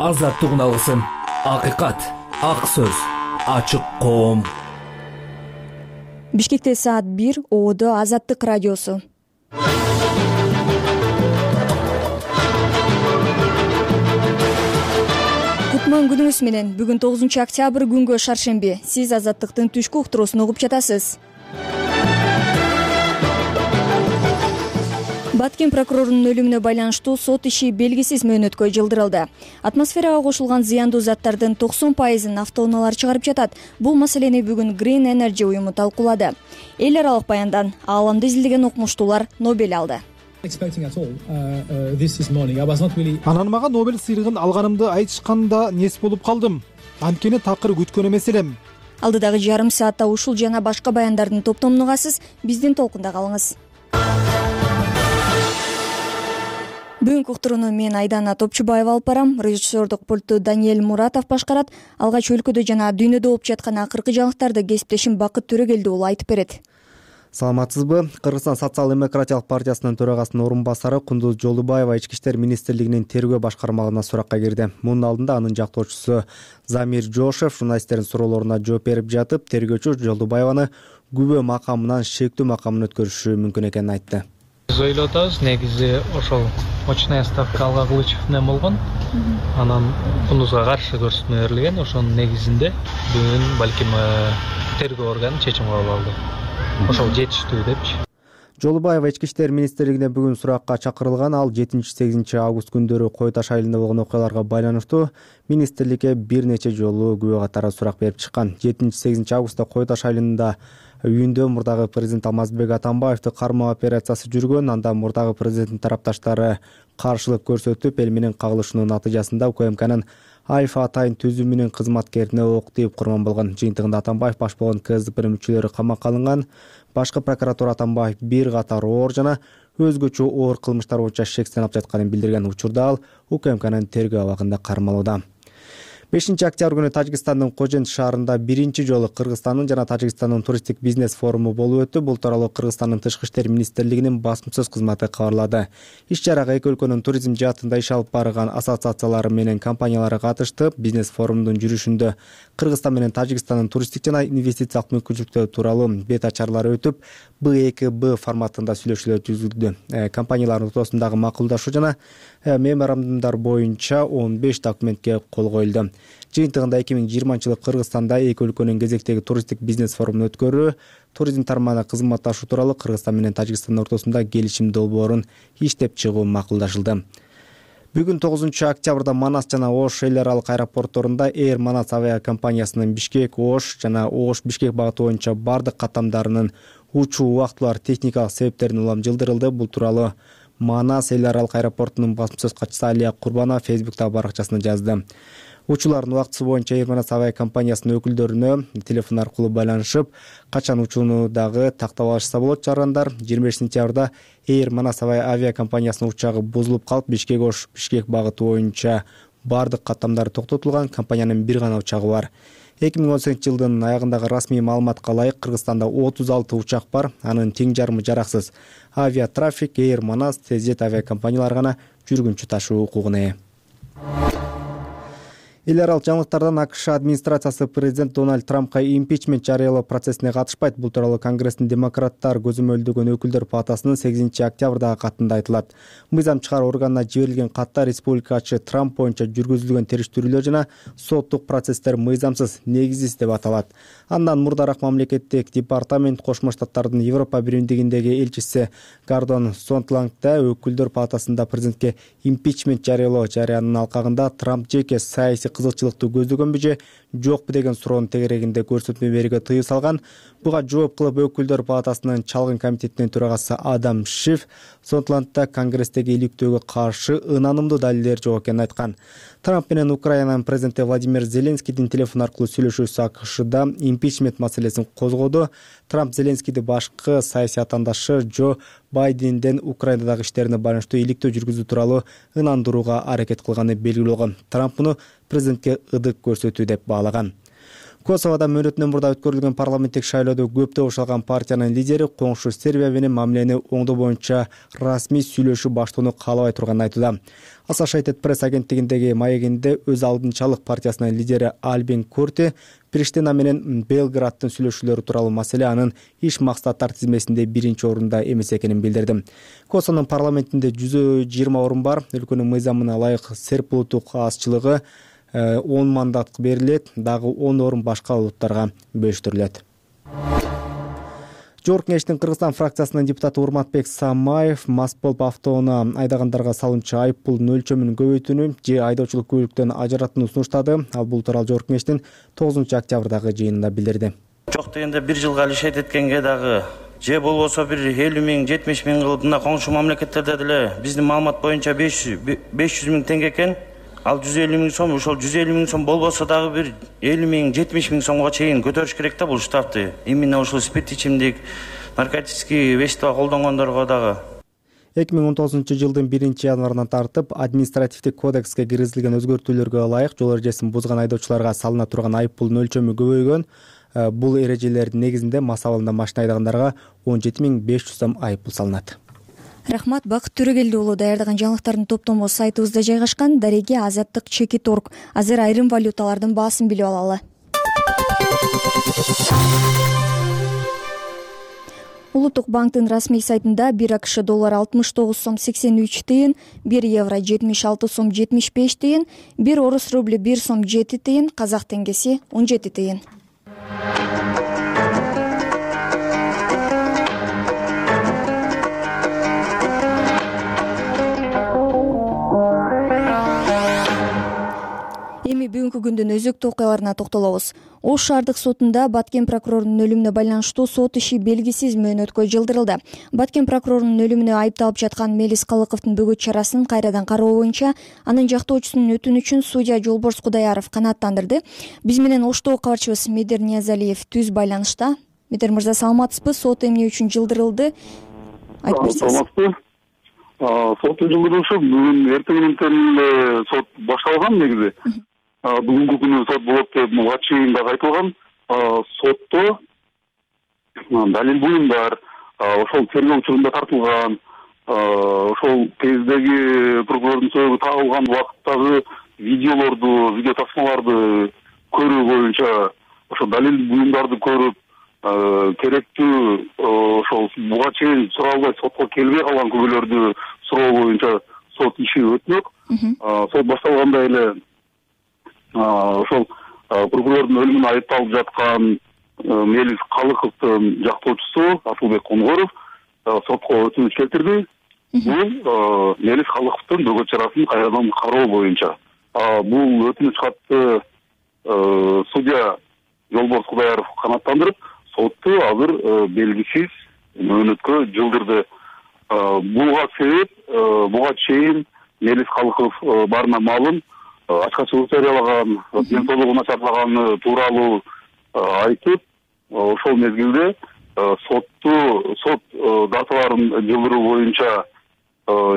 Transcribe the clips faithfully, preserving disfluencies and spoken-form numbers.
азаттыгын алгысың. Акыйкат, ак сөз, ачык коом. Бишкекте саат бир, Оодо Азаттык радиосу. Кутман күнүңүз менен. Бүгүн тогузунчу октябрь күнгө шаршемби. Сиз Азаттыктын түшкү уктуруусун угуп жатасыз. Баткен прокурорунун өлүмүнө байланыштуу сот иши белгисиз мөөнөткө жылдырылды. Атмосферага кошулган зыяндуу заттардын токсон пайызын автоунаалар чыгарып жатат. Бул маселени бүгүн Green Energy уюму талкуулады. Эл аралык баяндан ааламды изилдеген окумуштуулар Нобель алды. Анан мага Нобель сыйлыгын алганымды айтышканда нес болуп калдым. Анткени такыр күткөн эмес элем. Алдыдагы жарым саатта ушул жана башка баяндардын топтомун угасыз. Биздин толкунда калыңыз. Бүгүнкү уктурууну мен Айдана Топчубаева алып барам. Режиссердук пультту Даниэль Муратов башкарат. Алгач өлкөдө жана дүйнөдө болуп жаткан акыркы жаңылыктарды кесиптешим Бакыт Төрөгелди уулу айтып берет. Саламатсызбы? Кыргызстан социал-демократиялык партиясынын төрагасынын орун басары Кундуз Жолдубаева Ички иштер министрлигинин тергөө башкармалыгына суракка кирди. Мунун алдында анын жактоочусу Замир Жошев журналисттердин суроолоруна жооп берип жатып, тергөөчү Жолдубаеваны күбө макамынан шектүү макамына өткөрүшү мүмкүн экенин айтты. Биз ойлоп атабыз, негизи ошол очная ставка Алга Кылычев менен болгон. Анан Кундузга каршы көрсөтмө берилген. Ошонун негизинде бүгүн балким тергөө органы чечим кабыл алды. Ошол жетиштүү депчи. Жолдубаева Ички иштер министрлигине бүгүн суракка чакырылган. Ал жетинчи-сегизинчи август күндөрү Кой Таш айылында болгон окуяларга байланыштуу министрликке бир нече жолу күбө катары сурак берип чыккан. жетинчи-сегизинчи августта Кой Таш айылында үйүндө мурдагы президент Алмазбек Атамбаевди кармоо операциясы жүргөн. Анда мурдагы президенттин тарапташтары каршылык көрсөтүп, эл менен кагылышуунун натыйжасында УКМКнын Альфа атайын түзүмүнүн кызматкерине ок тийип курман болгон. Жыйынтыгында Атамбаев баш болгон КСДПнын мүчөлөрү камакка алынган. Башкы прокуратура Атамбаев бир катар оор жана өзгөчө оор кылмыштар боюнча шектен алып жатканын билдирген. Учурда ал УКМКнын тергөө абагында кармалууда. бешинчи октябрь күнү Тажикстандын Кожент шаарында биринчи жолу Кыргызстандын жана Тажикстандын туристтик бизнес форуму болуп өттү. Бул тууралуу Кыргызстандын Тышкы иштер министрлигинин басма-сөз кызматы кабарлады. Иш-чарага эки өлкөнүн туризм жаатында иш алып барган ассоциациялары менен компаниялары катышты. Бизнес форумдун жүрүшүндө Кыргызстан менен Тажикстандын туристтик жана инвестициялык мүмкүнчүлүктөрү тууралуу бет ачарлары өтүп, Б эки Б форматында сүйлөшүүлөр жүргүзүлдү. Компаниялардын ортосундагы макулдашуу жана меморандумдар боюнча он беш документке кол коюлду. Жыйынтыгында эки миң жыйырманчы жылы Кыргызстанда эки өлкөнүн кезектеги туристтик бизнес форумун өткөрүү, туризм тармагына кызматташуу тууралуу Кыргызстан менен Тажикстан ортосунда келишим долбоорун иштеп чыгуу макулдашылды. Бүгүн тогузунчу октябрда Манас жана Ош эл аралык аэропортторунда Air Manas авиа компаниясынын Бишкек, Ош жана Ош Бишкек багыты боюнча бардык каттамдарынын учуу убактылар техникалык себептерден улам жылдырылды. Бул тууралуу Манас эл аралык аэропортунун басма-сөз катчысы Алия Курбанова Фейсбуктагы баракчасында жазды. Учуулардын убактысы боюнча Air Manas авиа компаниясынын өкүлдөрүнө телефон аркылуу байланышып, качан учууну дагы тактап алышса болот чыгаргандар. жыйырма бешинчи сентябрда Air Manas авиа компаниясынын учагы бузулуп калып, Бишкек Ош Бишкек багыты боюнча бардык каттамдары токтотулган. Компаниянын бир гана учагы бар. эки миң он сегизинчи жылдын аягындагы расмий маалыматка ылайык Кыргызстанда отуз алты учак бар. Анын тең жарымы жараксыз. Авиа Трафик, Air Manas, Тезжет авиа компаниялары гана жүргүнчү ташуу укугуна ээ. Эл аралык жаңылыктардан АКШ администрациясы президент Дональд Трампка импичмент жарыялоо процессине катышпайт. Бул тууралуу Конгресстин демократтар көзөмөлдөгөн өкүлдөр палатасынын сегизинчи октябрдагы катында айтылат. Мыйзам чыгаруу органына жиберилген катта республикачы Трамп боюнча жүргүзүлгөн териштирүүлөр жана соттук процесстер мыйзамсыз, негизсиз деп аталат. Андан мурдараак мамлекеттик департамент Кошмо Штаттардын Европа биримдигиндеги элчиси Гордон Сонтландда өкүлдөр палатасында президентке импичмент жарыялоо жарыянын алкагында Трамп жеке саясий кызыкчылыкту көздөгөнбү же жокпу деген суроонун тегерегинде көрсөтмө берүүгө тыюу салган. Буга жооп кылып өкүлдөр палатасынын чалгын комитетинин төрагасы Адам Шиф Сонтландда Конгресстеги иликтөөгө каршы ынанымдуу далилдер жок экенин айткан. Трамп менен Украинанын президенти Владимир Зеленскийдин телефон аркылуу сүйлөшүүсү АКШда импичмент маселесин козгоду. Трамп Зеленскийди башкы саясий атаандашы Джо Байденден Украинадагы иштерине байланыштуу иликтөө жүргүзүү тууралуу ынандырууга аракет кылганы белгилүү болгон. Трамп муну президентке ыдык көрсөтүү деп баалаган. Косоводо мөөнөтүнөн мурда өткөрүлгөн парламенттик шайлоодо көптөп ошол алган партиянын лидери коңшу Сербия менен мамилени оңдоо боюнча расмий сүйлөшүү баштоону каалабай турганын айтууда. Associated Press агенттигиндеги маегинде өз алдынчалык партиясынын лидери Альбин Курти Приштина менен Белграддын сүйлөшүүлөрү тууралуу маселе анын иш максаттар тизмесинде биринчи орунда эмес экенин билдирди. Косовонун парламентинде жүз жыйырма орун бар. Өлкөнүн мыйзамына ылайык серб улуттук азчылыгы он мандат берилет, дагы он орун башка улуттарга бөлүштүрүлөт. Жогорку Кеңештин Кыргызстан фракциясынын депутаты Урматбек Самаев мас болуп автоунаа айдагандарга салынчу айып пулдун өлчөмүн көбөйтүүнү же айдоочулук күбөлүктөн ажыратууну сунуштады. Ал бул тууралуу Жогорку Кеңештин тогузунчу октябрдагы жыйынында билдирди. Жок дегенде бир жылга лишет эткенге дагы же болбосо бир элүү миң жетимиш миң кылып мына коңшу мамлекеттерде деле биздин маалымат боюнча беш жүз миң теңге экен. Ал жүз элүү миң сом, ошол жүз элүү миң сом болбосо дагы бир элүү миң жетимиш миң сомго чейин көтөрүш керек да бул штрафты. Именно ошол спирт ичимдик, наркотический вещество колдонгондорго дагы. эки миң он тогузунчу жылдын биринчи январынан тартып административдик кодекске киргизилген өзгөртүүлөргө ылайык жол эрежесин бузган айдоочуларга салына турган айып пулдун өлчөмү көбөйгөн. Бул эрежелердин негизинде мас абалында машина айдагандарга он жети миң беш жүз сом айып пул салынат. Рахмат, Бакыт Төрөгелди уулу даярдаган жаңылыктардын топтому сайтыбызда жайгашкан. Дареге азаттык чеки торг. Азыр айрым валюталардын баасын билип алалы. Улуттук банктын расмий сайтында бир АКШ доллары алтымыш тогуз сом сексен үч тыйын, бир евро жетимиш алты сом жетимиш беш тыйын, бир орус рубль бир сом жети тыйын, казак теңгеси он жети тыйын. Эми бүгүнкү күндүн өзөктүү окуяларына токтолобуз. Ош шаардык сотунда Баткен прокурорунун өлүмүнө байланыштуу сот иши белгисиз мөөнөткө жылдырылды. Баткен прокурорунун өлүмүнө айыпталып жаткан Мелис Калыковдун бөгөт чарасын кайрадан кароо боюнча анын жактоочусунун өтүнүчүн судья Жолборс Кудаяров канааттандырды. Биз менен Оштогу кабарчыбыз Медер Ниязалиев түз байланышта. Медер мырза, саламатсызбы? Сот эмне үчүн жылдырылды? Айтып берсеңиз. Саламатсызбы. Соттун жылдырылышы бүгүн эртеңден сот башталган негизи. Бүгүнкү күнү сот болот деп буга чейин дагы айтылган. Сотто далил буюмдар, ошол тергөө учурунда тартылган, ошол кездеги прокурордун сөөгү табылган убакыттагы видеолорду, видео тасмаларды көрүү боюнча ошол далил буюмдарды көрүп, керектүү ошол буга чейин суралбай сотко келбей калган күбөлөрдү суроо боюнча сот иши өтмөк. Сот башталганда эле ошол прокурордун өлүмүнө айыпталып жаткан Мелис Калыковдун жактоочусу Асылбек Конгоров сотко өтүнүч келтирди. Бул Мелис Калыковдун бөгөт чарасын кайрадан кароо боюнча. Бул өтүнүч катты судья Жолборс Кудаяров канааттандырып, сотту азыр белгисиз мөөнөткө жылдырды. Буга себеп буга чейин Мелис Калыков барына маалым ачкачылык жарыялаган, ден соолугу начарлаганы тууралуу айтып, ошол мезгилде сотту сот даталарын жылдыруу боюнча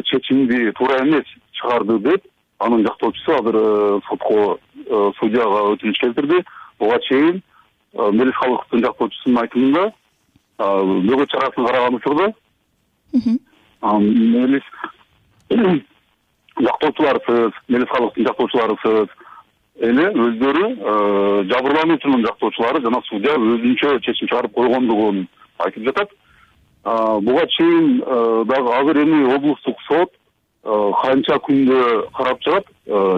чечимди туура эмес чыгарды деп анын жактоочусу азыр сотко судьяга өтүнүч келтирди. Буга чейин Мелис Калыковдун жактоочусунун айтымында бөгөт чарасын караган учурда Мелис жактоочуларысыз, Мелис Калыковдун жактоочуларысыз эле өздөрү жабырлануучунун жактоочулары жана судья өзүнчө чечим чыгарып койгондугун айтып жатат. Буга чейин дагы азыр эми облустук сот канча күндө карап чыгат.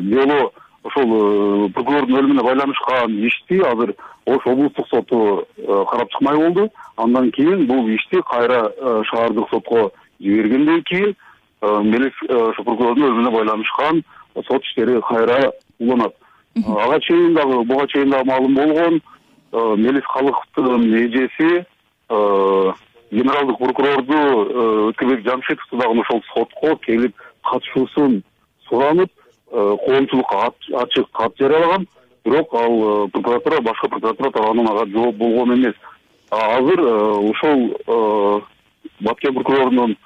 Дело ошол прокурордун өлүмүнө байланышкан ишти азыр Ош облустук соту карап чыкмай болду. Андан кийин бул ишти кайра шаардык сотко жибергенден кийин Мелис прокурордун өлүмүнө байланышкан сот иштери кайра уланат. Ага чейин дагы буга чейин дагы маалым болгон Мелис Калыковдун эжеси генералдык прокурорду Өткөбек Жамшитовду дагы ошол сотко келип катышуусун суранып, коомчулукка ачык кат жарыялаган. Бирок ал прокуратура, башка прокуратура тарабынан ага жооп болгон эмес. Азыр ошол Баткен прокурорунун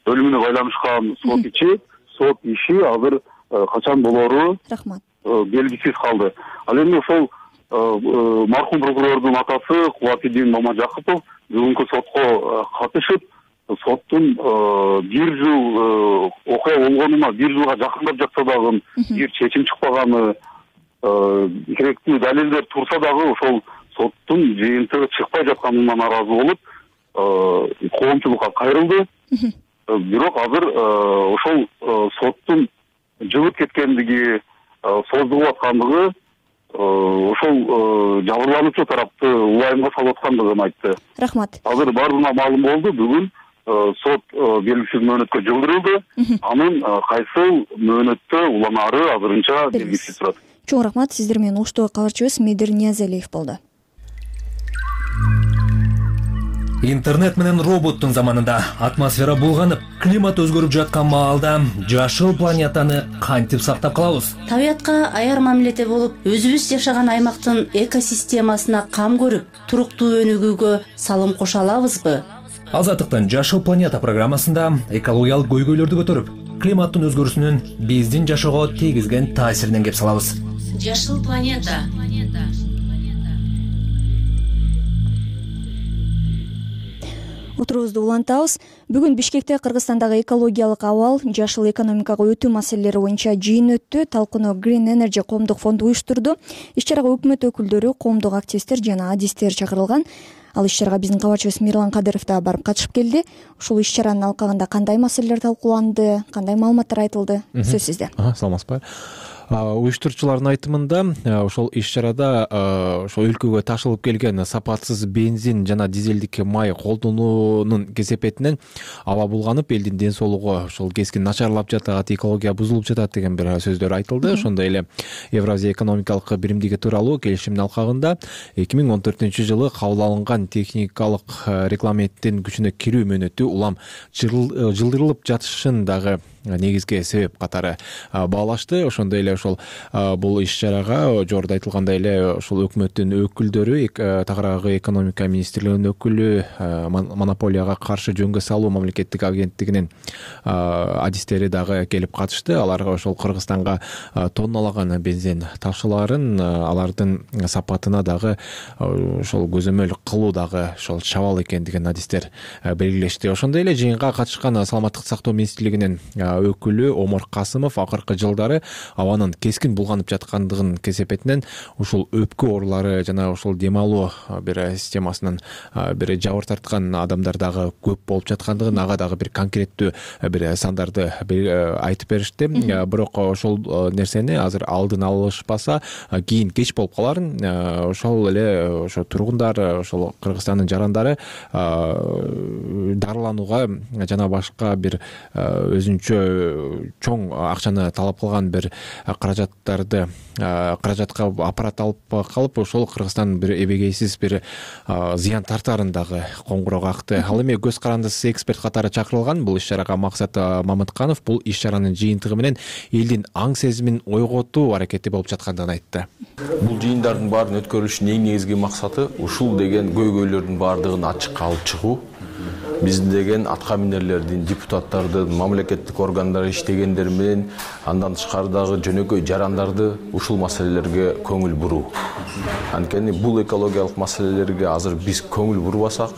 өлүмүнө байланышкан сот ичи, сот иши азыр качан болору Рахмат. белгисиз калды. Ал эми ошол маркум прокурордун атасы Кубатидин Мамажакупов бүгүнкү сотко катышып, соттун бир жыл окуя болгонуна бир жылга жакындап жатса дагы бир чечим чыкпаганы, керектүү далилдер турса дагы ошол соттун жыйынтыгы чыкпай жатканына нааразы болуп, коомчулукка кайрылды. Бирок азыр ошол соттун жылып кеткендиги, созулуп аткандыгы ошол жабырлануучу тарапты улайымга салып аткандыгын айтты. Рахмат. Азыр баарына маалым болду. Бүгүн сот белгисиз мөөнөткө жылдырылды. Анын кайсыл мөөнөттө уланары азырынча белгисиз турат. Чоң рахмат. Сиздер менен уктуу кабарчыбыз Медир Ниязалиев болду. Интернет менен роботтун заманында атмосфера булганып, климат өзгөрүп жаткан маалда жашыл планетаны кантип сактап калабыз? Табиятка аяр мамиледе болуп, өзүбүз жашаган аймактын экосистемасына кам көрүп, туруктуу өнүгүүгө салым кошо алабызбы? Азаттыктын Жашыл планета программасында экологиялык көйгөйлөрдү көтөрүп, климаттын өзгөрүүсүнүн биздин жашоого тийгизген таасиринен кеп салабыз. Жашыл планета. Отурубузду улантабыз. Бүгүн Бишкекте Кыргызстандагы экологиялык абал, жашыл экономикага өтүү маселелери боюнча жыйын өттү. Талкууну Green Energy коомдук фонду уюштурду. Иш-чарага өкмөт өкүлдөрү, коомдук активисттер жана адистер чакырылган. Ал иш-чарага биздин кабарчыбыз Мирлан Кадыров да барып катышып келди. Ушул иш-чаранын алкагында кандай маселелер талкууланды, кандай маалыматтар айтылды? Сөз сизде. Саламатсызбы? Уюштуруучулардын айтымында ошол иш-чарада ошол өлкөгө ташылып келген сапатсыз бензин жана дизелдик май колдонуунун кесепетинен аба булганып, элдин ден соолугу ошол кескин начарлап жатат, экология бузулуп жатат деген бир сөздөр айтылды. Ошондой эле Евразия экономикалык биримдиги тууралуу келишимдин алкагында эки миң он төртүнчү жылы кабыл алынган техникалык регламенттин күчүнө кирүү мөөнөтү улам жылдырылып жатышын дагы негизги себеп катары баалашты. Ошондой эле ошол бул иш-чарага жогоруда айтылгандай эле ошол өкмөттүн өкүлдөрү, тагыраагы экономика министрлигинин өкүлү, монополияга каршы жөнгө салуу мамлекеттик агенттигинин адистери дагы келип катышты. Алар ошол Кыргызстанга тонналаган бензин ташууларын, алардын сапатына дагы ошол көзөмөл кылуу дагы ошол чабал экендигин адистер белгилешти. Ошондой эле жыйынга катышкан саламаттык сактоо министрлигинин өкүлү Омар Касымов акыркы жылдары абанын кескин булганып жаткандыгын кесепетинен ушул өпкө оорулары жана ушул дем алуу бир системасынын бир жабыр тарткан адамдар дагы көп болуп жаткандыгын, ага дагы бир конкреттүү бир сандарды айтып беришти. Бирок ошол нерсени азыр алдын алышпаса кийин кеч болуп каларын ошол эле ошо тургундар, ошол Кыргызстандын жарандары дарыланууга жана башка бир өзүнчө чоң акчаны талап кылган бир каражаттарды каражатка аппарат алып калып, ошол Кыргызстан бир эбегейсиз бир зыян тартарын дагы коңгуроо какты. Ал эми көз карандысыз эксперт катары чакырылган бул иш-чарага Максат Мамытканов бул иш-чаранын жыйынтыгы менен элдин аң сезимин ойготуу аракети болуп жаткандыгын айтты. Бул жыйындардын баарын өткөрүлүшүнүн эң негизги максаты ушул деген көйгөйлөрдүн баардыгын ачыкка алып чыгуу. Биздин деген атка минерлердин, депутаттардын, мамлекеттик органдар иштегендер менен андан тышкарыдагы жөнөкөй жарандарды ушул маселелерге көңүл буруу. Анткени бул экологиялык маселелерге азыр биз көңүл бурбасак,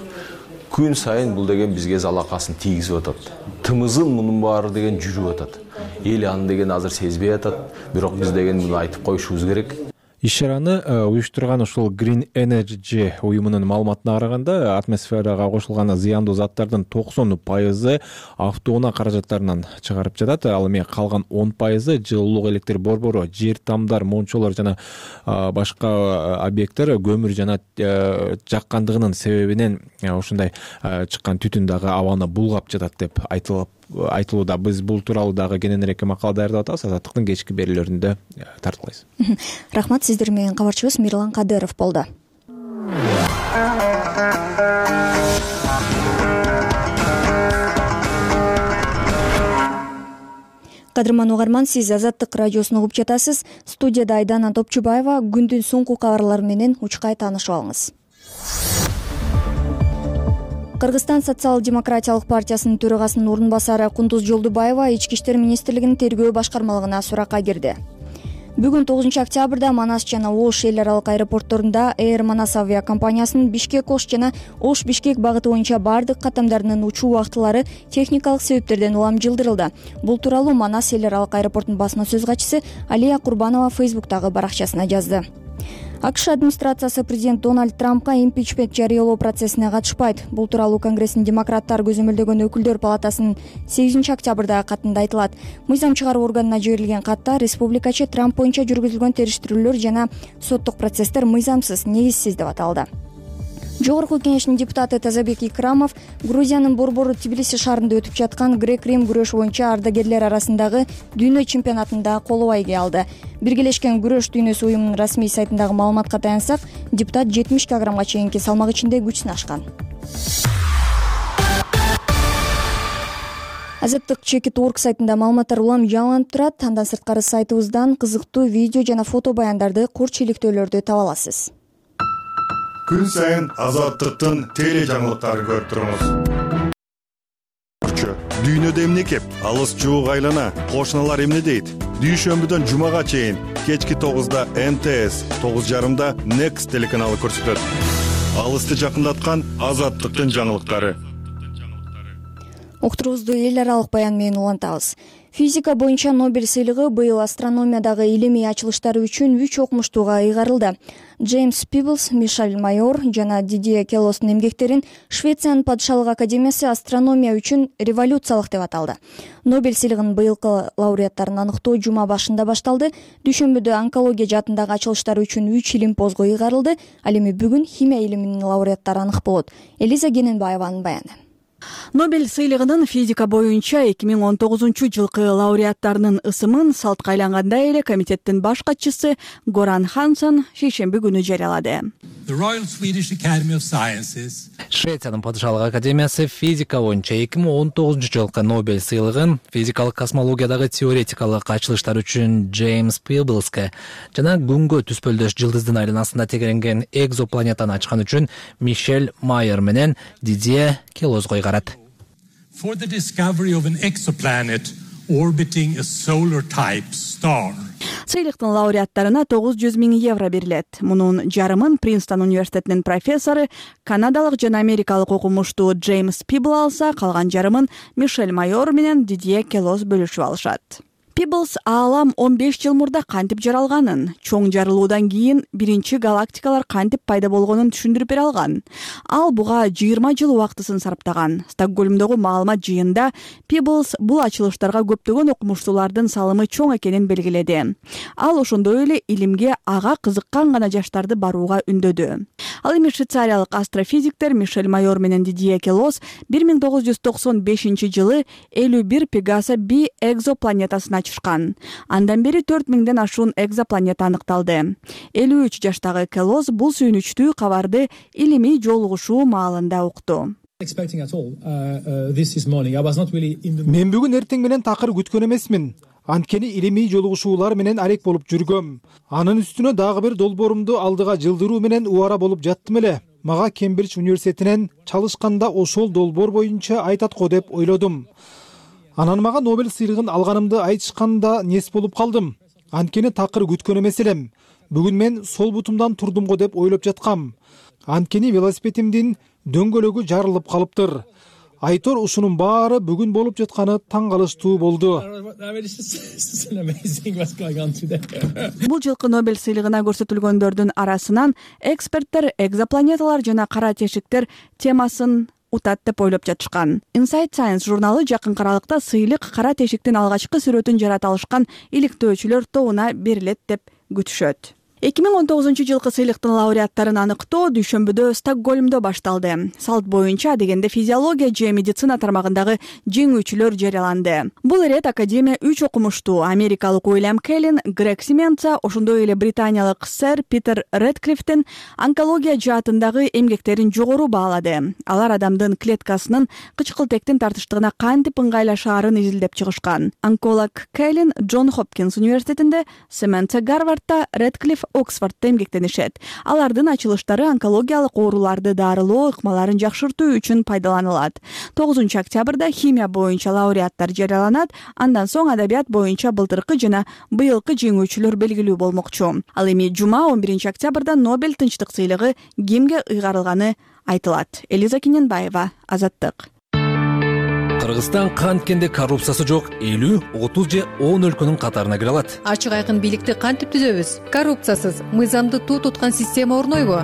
күн сайын бул деген бизге залакасын тийгизип атат. Тымызын мунун баары деген жүрүп атат. Эл аны деген азыр сезбей атат, бирок биз деген муну айтып коюшубуз керек. Иш-чараны уюштурган ушул Green Energy уюмунун маалыматына караганда, атмосферага кошулган зыяндуу заттардын токсон пайызы автоунаа каражаттарынан чыгарып жатат. Ал эми калган он пайызы жылуулук электр борбору, жер тамдар, мончолор жана башка объекттер көмүр жана жаккандыгынын себебинен ушундай чыккан түтүн дагы абаны булгап жатат деп айтылып айтылууда. Биз бул тууралуу дагы кененирээк макала даярдап атабыз. Азаттыктын кечки берүүлөрүндө тартуулайбыз. Рахмат. Сиздер менен кабарчыбыз Мирлан Кадыров болду. Кадырман угарман, сиз Азаттык радиосун угуп жатасыз. Студияда Айдана Топчубаева. Күндүн соңку кабарлары менен учкай таанышып алыңыз. Кыргызстан социал-демократиялык партиясынын төрагасынын орун басары Кундуз Жолдубаева Ички иштер министрлигинин тергөө башкармалыгына суракка кирди. Бүгүн тогузунчу октябрда Манас жана Ош эл аралык аэропортторунда Air Manas авиакомпаниясынын Бишкек Ош жана Ош Бишкек багыты боюнча бардык каттамдарынын учуу убактылары техникалык себептерден улам жылдырылды. Бул тууралуу Манас эл аралык аэропортунун басма сөз катчысы Алия Курбанова Фейсбуктагы баракчасына жазды. АКШ администрациясы президент Дональд Трампка импичмент жарыялоо процессине катышпайт. Бул тууралуу Конгресстин демократтар көзөмөлдөгөн өкүлдөр палатасынын сегизинчи октябрдагы катында айтылат. Мыйзам чыгаруу органына жиберилген катта республикачы Трамп боюнча жүргүзүлгөн териштирүүлөр жана соттук процесстер мыйзамсыз, негизсиз деп аталды. Жогорку кеңештин депутаты Тазабек Икрамов Грузиянын борбору Тбилиси шаарында өтүп жаткан грек-рим күрөш боюнча ардагерлер арасындагы дүйнө чемпионатында коло байге алды. Биргелешкен күрөш дүйнөсү уюмунун расмий сайтындагы маалыматка таянсак, депутат жетимиш килограммга чейинки салмак ичинде күч сынашкан. Азаттык чекит орг сайтында маалыматтар улам жаңыланып турат. Андан сырткары сайтыбыздан кызыктуу видео жана фото баяндарды, курч иликтөөлөрдү таба аласыз. Күн сайын Азаттыктын теле жаңылыктарын көрүп туруңуз. Дүйнөдө эмне кеп? Алыс жуук айлана, кошуналар эмне дейт? Дүйшөмбүдөн жумага чейин кечки тогузда эм тэ эс, тогуз жарымда Next телеканалы көрсөтөт. Алысты жакындаткан Азаттыктын жаңылыктары. Уктурубузду эл аралык баян менен улантабыз. Физика боюнча Нобель сыйлыгы быйыл астрономиядагы илимий ачылыштары үчүн үч окумуштууга ыйгарылды. Джеймс Пиблс, Мишель Майор жана Дидье Келостун эмгектерин Швециянын падышалык академиясы астрономия үчүн революциялык деп аталды. Нобель сыйлыгынын быйылкы лауреаттарын аныктоо жума башында башталды. Дүйшөмбүдө онкология жаатындагы ачылыштар үчүн үч илимпозго ыйгарылды. Ал эми бүгүн химия илиминин лауреаттары анык болот. Элиза Кененбаеванын баяны. Нобель сыйлыгынын физика боюнча эки миң он тогузунчу жылкы лауреаттарынын ысымын салтка айлангандай эле комитеттин баш катчысы Горан Ханссон шейшемби күнү жарыялады. Швециянын падышалык академиясы физика боюнча эки миң он тогузунчу жылкы Нобель сыйлыгын физикалык космологиядагы теоретикалык ачылыштар үчүн Джеймс Пиблске жана күнгө түспөлдөш жылдыздын айланасында тегеренген экзопланетаны ачкан үчүн Мишель Майер менен Дидье Келосго ыйгарат. For the discovery of an exoplanet orbiting a solar type star. Сыйлыктын лауреаттарына тогуз жүз миң евро берилет. Мунун жарымын Принстон университетинин профессору, канадалык жана америкалык окумуштуу Джеймс Пибл алса, калган жарымын Мишель Майор менен Дидье Келос бөлүшүп алышат. Пиблс аалам он беш жыл мурда кантип жаралганын, чоң жарылуудан кийин биринчи галактикалар кантип пайда болгонун түшүндүрүп бере алган. Ал буга жыйырма жыл убактысын сарптаган. Стокгольмдогу маалымат жыйынында Пиблс бул ачылыштарга көптөгөн окумуштуулардын салымы чоң экенин белгиледи. Ал ошондой эле илимге ага кызыккан гана жаштарды барууга үндөдү. Ал эми швейцариялык астрофизиктер Мишель Майор менен Дидье Келос бир миң тогуз жүз токсон бешинчи жылы элүү бир Пегаса би экзопланетасын ачышкан. Андан бери төрт миңден ашуун экзопланета аныкталды. элүү үч жаштагы Келос бул сүйүнүчтүү кабарды илимий жолугушуу маалында укту. Мен бүгүн эртең менен такыр күткөн эмесмин. Анткени илимий жолугушуулар менен алек болуп жүргөм. Анын үстүнө дагы бир долбоорумду алдыга жылдыруу менен убара болуп жаттым эле. Мага Кембридж университетинен чалышканда ошол долбоор боюнча айтат го деп ойлодум. Анан мага Нобель сыйлыгын алганымды айтышканда нес болуп калдым. Анткени такыр күткөн эмес элем. Бүгүн мен сол бутумдан турдум го деп ойлоп жаткам. Анткени велосипедимдин дөңгөлөгү жарылып калыптыр. Айтор ушунун баары бүгүн болуп жатканы таң калыштуу болду. Бул жылкы Нобель сыйлыгына көрсөтүлгөндөрдүн арасынан эксперттер экзопланеталар жана кара тешиктер темасын утат деп ойлоп жатышкан. Inside Science журналы жакын аралыкта сыйлык кара тешиктин алгачкы сүрөтүн жарата алышкан иликтөөчүлөр тобуна берилет деп күтүшөт. эки миң он тогузунчу жылкы сыйлыктын лауреаттарын аныктоо дүйшөмбүдө Стокгольмдо башталды. Салт боюнча дегенде физиология же медицина тармагындагы жеңүүчүлөр жарыяланды. Бул ирет академия үч окумуштуу америкалык Уильям Келлин, Грег Сименца, ошондой эле британиялык сэр Питер Редклифтин онкология жаатындагы эмгектерин жогору баалады. Алар адамдын клеткасынын кычкылтектин тартыштыгына кантип ыңгайлашаарын изилдеп чыгышкан. Онколог Келлин Джон Хопкинс университетинде, Сименца Гарвардта, Редклифф Оксфордто эмгектенишет. Алардын ачылыштары онкологиялык ооруларды дарылоо ыкмаларын жакшыртуу үчүн пайдаланылат. тогузунчу октябрда химия боюнча лауреаттар жарыяланат. Андан соң адабият боюнча былтыркы жана быйылкы жеңүүчүлөр белгилүү болмокчу. Ал эми жума он биринчи октябрда Нобель тынчтык сыйлыгы кимге ыйгарылганы айтылат. Элиза Кененбаева, Азаттык. Кыргызстан канткенде коррупциясы жок элүү, отуз же он өлкөнүн катарына кире алат. Ачык айкын бийликти кантип түзөбүз? Коррупциясыз, мыйзамды туу туткан система орнойбу?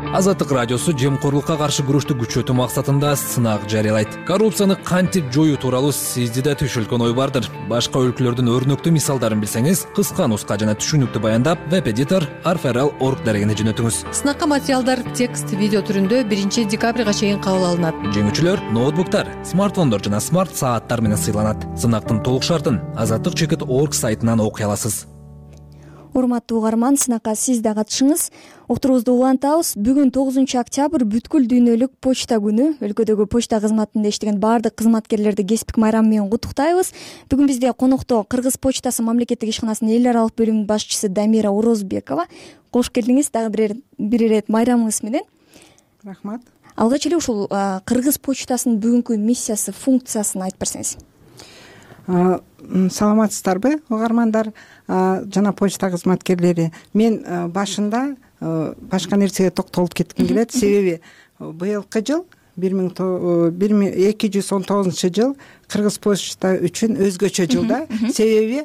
Азаттык радиосу жемкорлукка каршы күрөштү күчөтүү максатында сынак жарыялайт. Коррупцияны кантип жоюу тууралуу сизде да түшүлгөн ой бардыр. Башка өлкөлөрдүн өрнөктүү мисалдарын билсеңиз, кыска нуска жана түшүнүктүү баяндап, веб-эдитор арферал точка орг дарегине жөнөтүңүз. Сынакка материалдар текст, видео түрүндө биринчи декабрга чейин кабыл алынат. Жеңүүчүлөр ноутбуктар, смартфондор жана смарт сааттар менен сыйланат. Сынактын толук шартын азаттык чекит точка орг сайтынан окуй аласыз. Урматтуу угарман, сынакка сиз да катышыңыз. Уктуруубузду улантабыз. Бүгүн тогузунчу октябрь бүткүл дүйнөлүк почта күнү. Өлкөдөгү почта кызматында иштеген баардык кызматкерлерди кесиптик майрам менен куттуктайбыз. Бүгүн бизде конокто Кыргыз почтасы мамлекеттик ишканасынын эл аралык бөлүмүнүн башчысы Дамира Орозбекова. Кош келдиңиз дагы бир бир ирет майрамыңыз менен. Рахмат. Алгач эле ушул Кыргыз почтасынын бүгүнкү миссиясы, функциясын айтып берсеңиз. Саламатсыздарбы, угармандар жана почта кызматкерлери. Мен башында башка нерсеге токтолуп кетким келет. Себеби быйылкы жыл эки жүз он тогузунчу жыл Кыргыз почта үчүн өзгөчө жыл да. Себеби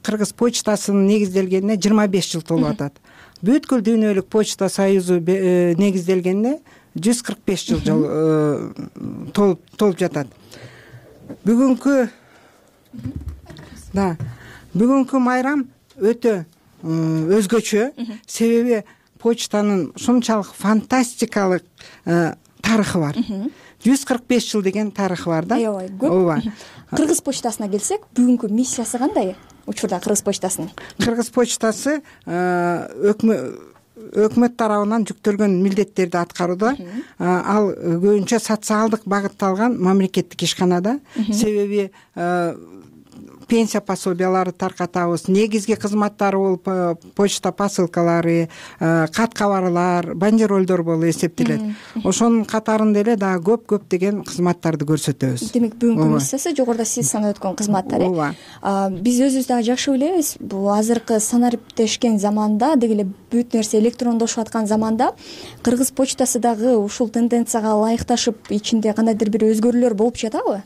Кыргыз почтасынын негизделгенине жыйырма беш жыл толуп атат. Бүткүл дүйнөлүк почта союзу негизделгенине жүз кырк беш жыл толуп толуп жатат. Бүгүнкү да бүгүнкү майрам өтө өзгөчө. Себеби почтанын ушунчалык фантастикалык тарыхы бар. жүз кырк беш жыл деген тарыхы бар да. Аябай көп. Ооба. Кыргыз почтасына келсек, бүгүнкү миссиясы кандай? Учурда Кыргыз почтасынын. Кыргыз почтасы өкмөт тарабынан жүктөлгөн милдеттерди аткарууда. Ал көбүнчө социалдык багытталган мамлекеттик ишканада. Себеби пенсия пособиялары таркатабыз, негизги кызматтары болуп почта посылкалары, кат кабарлар, бандеролдор болуп эсептелет. Ошонун катарында эле дагы көп-көп деген кызматтарды көрсөтөбүз. Демек бүгүнкү миссиясы жогоруда сиз санап өткөн кызматтар. Ооба. Биз өзүбүз дагы жакшы билебиз, бул азыркы санариптешкен заманда, деги эле бүт нерсе электрондошуп аткан заманда Кыргыз почтасы дагы ушул тенденцияга ылайыкташып, ичинде кандайдыр бир өзгөрүүлөр болуп жатабы?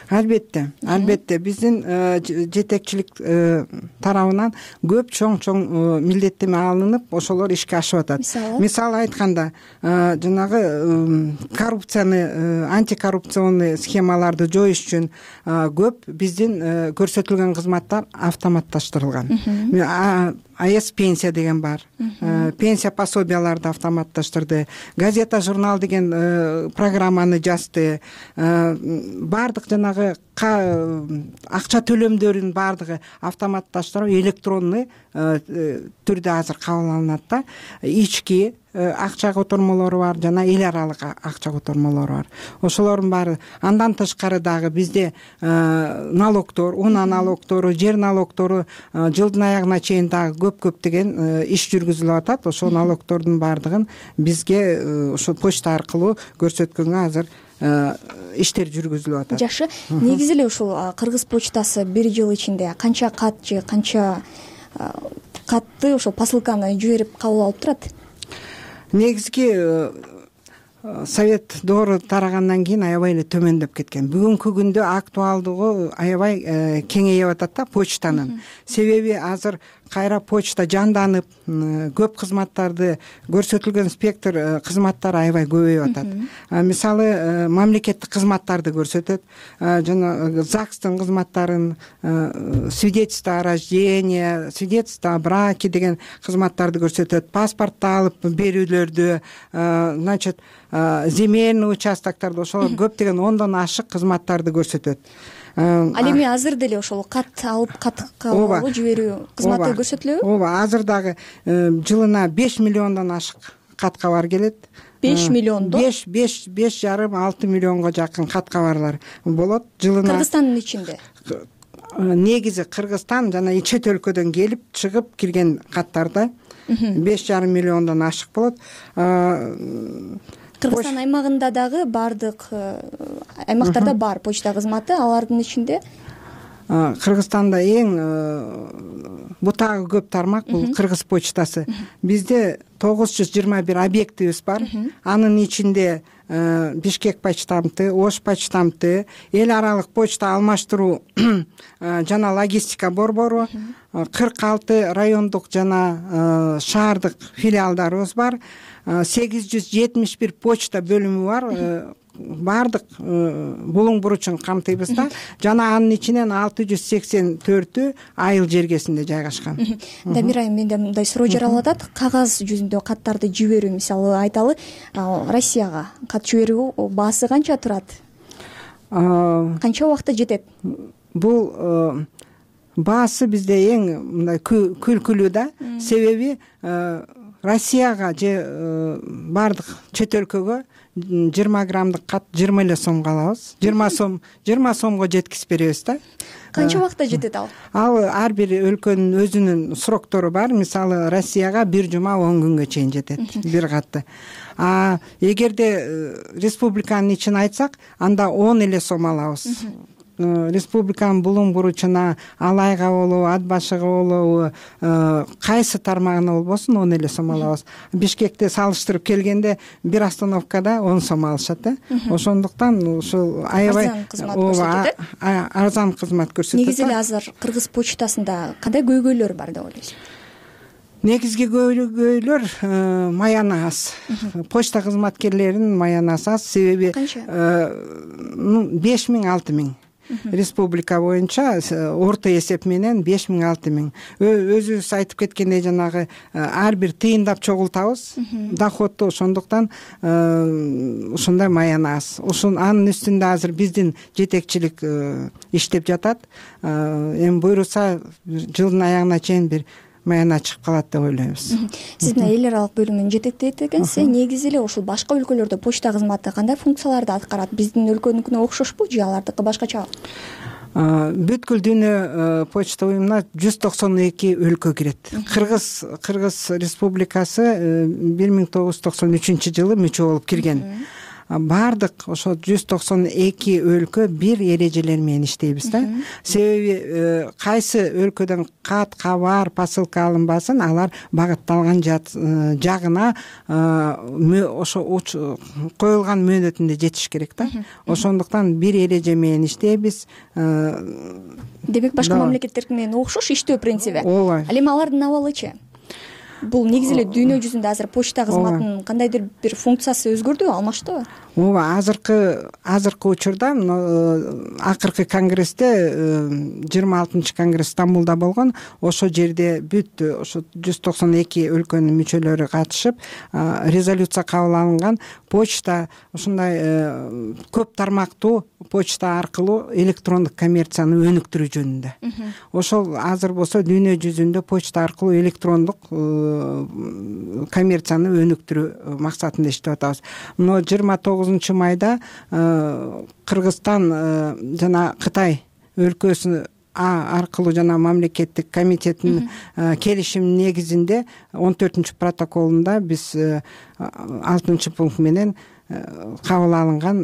Албетте, албетте биздин жетекчилик тарабынан көп чоң-чоң милдеттеме алынып, ошолор ишке ашып атат. Мисалы айтканда, жанагы коррупцияны, антикоррупционный схемаларды жоюш үчүн көп биздин көрсөтүлгөн кызматтар автоматташтырылган. АЭС пенсия деген бар. Пенсия пособияларды автоматташтырды. Газета, журнал деген программаны жазды. Бардык жанагы акча төлөмдөрүнүн бардыгы автоматташтырып, электронный түрдө азыр кабыл алынат да. Ички акча котормолору бар, жана эл аралык акча котормолору бар. Ошолордун баары. Андан тышкары дагы бизде налогдор, унаа налогдору, жер налогдору жылдын аягына чейин дагы көп-көп деген иш жүргүзүлүп атат. Ошол налогдордун баардыгын бизге ошо почта аркылуу көрсөткөнгө азыр иштер жүргүзүлүп атат. Жакшы. Негизи эле ушул Кыргыз почтасы бир жыл ичинде канча кат же канча катты ошол посылканы жиберип кабыл алып турат? Негизги совет доору тарагандан кийин аябай эле төмөндөп кеткен. Бүгүнкү күндө актуалдыгы аябай кеңейип атат да почтанын. Себеби азыр кайра почта жанданып, көп кызматтарды көрсөтүлгөн спектр кызматтар аябай көбөйүп атат. Мисалы, мамлекеттик кызматтарды көрсөтөт, жана ЗАГСтын кызматтарын, свидетельство о рождении, свидетельство о браке деген кызматтарды көрсөтөт, паспортду алып берүүлөрдү, значит, земельный участоктарды, ошол көптөгөн ондон ашык кызматтарды көрсөтөт. Ал эми азыр деле ошол кат алып, кат кабыл алуу, жиберүү кызматы көрсөтүлөбү? Ооба, азыр дагы жылына беш миллиондон ашык кат кабар келет. беш миллиондон? беш, беш, беш жарым, алты миллионго жакын кат кабарлар болот жылына. Кыргызстандын ичинде? негизи Кыргызстан жана чет өлкөдөн келип чыгып кирген каттарда беш жарым миллиондон ашык болот. Кыргызстан аймагында дагы баардык аймактарда бар почта кызматы, алардын ичинде Кыргызстанда эң бутагы көп тармак бул Кыргыз почтасы. Бизде тогуз жүз жыйырма бир объектибиз бар. Анын ичинде Бишкек почтамты, Ош почтамты, эл аралык почта алмаштыруу жана логистика борбору, кырк алты райондук жана шаардык филиалдарыбыз бар. сегиз жүз жетимиш бир почта бөлүмү бар. Баардык булуң буручун камтыйбыз да, жана анын ичинен алты жүз сексен төртү айыл жергесинде жайгашкан. Дамир айым, менде мындай суроо жаралып атат. Кагаз жүзүндө каттарды жиберүү, мисалы айталы, Россияга кат жиберүү баасы канча турат? Канча убакытта жетет? Бул баасы бизде эң мындай күлкүлүү да, себеби Россияга же баардык чет өлкөгө жыйырма граммдык кат жыйырма эле сомго алабыз. жыйырма сом, жыйырма сомго жеткизип беребиз да. Канча убакытта жетет ал? Ал ар бир өлкөнүн өзүнүн сроктору бар. Мисалы Россияга бир жума он күнгө чейин жетет бир катты. А эгерде республиканын ичин айтсак, анда он эле сом алабыз. Республиканын булуң буручуна, Алайга болобу, Ат башыга болобу, кайсы тармагына болбосун он эле сом алабыз. Бишкекте салыштырып келгенде бир остановкада он сом алышат да. Ошондуктан ушул аябай арзан кызмат көрсөтөт. Негизи эле азыр Кыргыз почтасында кандай көйгөйлөр бар деп ойлойсуз? Негизги көйгөйлөр маяны аз. Почта кызматкерлеринин маянасы аз, себеби беш миң алты миң. Республика боюнча орто эсеп менен беш миң алты миң. Өзүбүз айтып кеткендей жанагы ар бир тыйындап чогултабыз доходду, ошондуктан ушундай маяны аз. Ушун анын үстүндө азыр биздин жетекчилик иштеп жатат. Эми буйруса жылдын аягына чейин бир маяна чыгып калат деп ойлойбуз. Сиздин эл аралык бөлүмүн жетектейт экенсиз. Негизи эле ушул башка өлкөлөрдө почта кызматы кандай функцияларды аткарат? Биздин өлкөнүкүнө окшошпу же алардыкы башкача? Бүткүл дүйнө почта уюмуна жүз токсон эки өлкө кирет. Кыргыз Кыргыз Республикасы бир миң тогуз жүз токсон үчүнчү жылы мүчө болуп кирген. Баардык ошо жүз токсон эки өлкө бир эрежелер менен иштейбиз да. Себеби кайсы өлкөдөн кат, кабар, посылка алынбасын, алар багытталган жагына ошо коюлган мөөнөтүндө жетиш керек да. Ошондуктан бир эреже менен иштейбиз. Демек башка мамлекеттерге менен окшош иштөө принциби. Ооба. Ал эми алардын абалычы? Бул негизи эле дүйнө жүзүндө азыр почта кызматынын кандайдыр бир функциясы өзгөрдүбү, алмаштыбы? Ооба, азыркы азыркы учурда акыркы конгрессте жыйырма алтынчы конгресс Стамбулда болгон. Ошол жерде бүт ошо жүз токсон эки өлкөнүн мүчөлөрү катышып, резолюция кабыл алынган. Почта ушундай көп тармактуу почта аркылуу электрондук коммерцияны өнүктүрүү жөнүндө. Ошол азыр болсо дүйнө жүзүндө почта аркылуу электрондук коммерцияны өнүктүрүү максатында иштеп атабыз. Мына жыйырма тогузунчу майда Кыргызстан жана Кытай өлкөсү аркылуу жана мамлекеттик комитеттин келишим негизинде он төртүнчү протоколунда биз алтынчы пункт менен кабыл алынган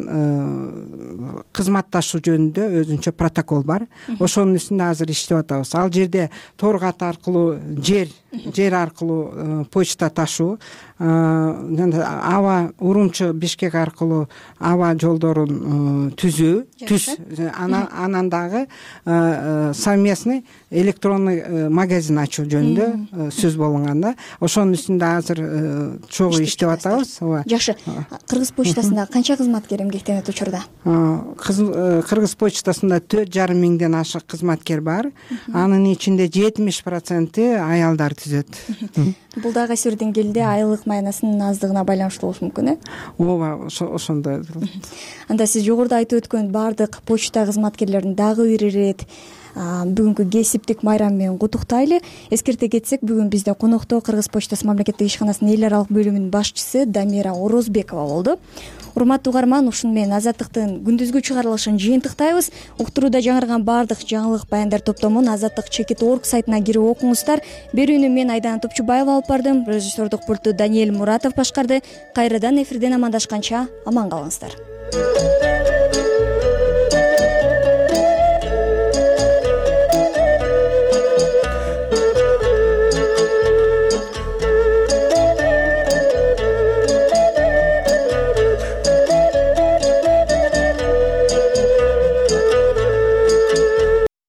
кызматташуу жөнүндө өзүнчө протокол бар. Ошонун үстүндө азыр иштеп атабыз. Ал жерде тор кат аркылуу жер жер аркылуу почта ташуу, аба Урумчу Бишкек аркылуу аба жолдорун түзүү, түз анан дагы совместный электронный магазин ачуу жөнүндө сөз болгон да. Ошонун үстүндө азыр чогуу иштеп атабыз. Жакшы. Кыргыз почтасында канча кызматкер эмгектенет учурда? Кыргыз почтасында төрт жарым миңден ашык кызматкер бар. Анын ичинде жетимиш проценти аялдар түзөт. Бул дагы кайсы бир деңгээлде айлык маянасынын аздыгына байланыштуу болушу мүмкүн, э? Ооба, ошондой. Анда сиз жогоруда айтып өткөн баардык почта кызматкерлерин дагы бир ирет бүгүнкү кесиптик майрам менен куттуктайлы. Эскерте кетсек, бүгүн бизде конокто Кыргыз почтасы мамлекеттик ишканасынын эл аралык бөлүмүнүн башчысы Дамира Орозбекова болду. Урматтуу угарман, ушуну менен Азаттыктын күндүзгү чыгарылышын жыйынтыктайбыз. Уктурууда жаңырган баардык жаңылык баяндар топтомун азаттык чекит точка орг сайтына кирип окуңуздар. Берүүнү мен Айдана Топчубаева алып бардым. Режиссердук пультту Даниэль Муратов башкарды. Кайрадан эфирден амандашканча аман калыңыздар.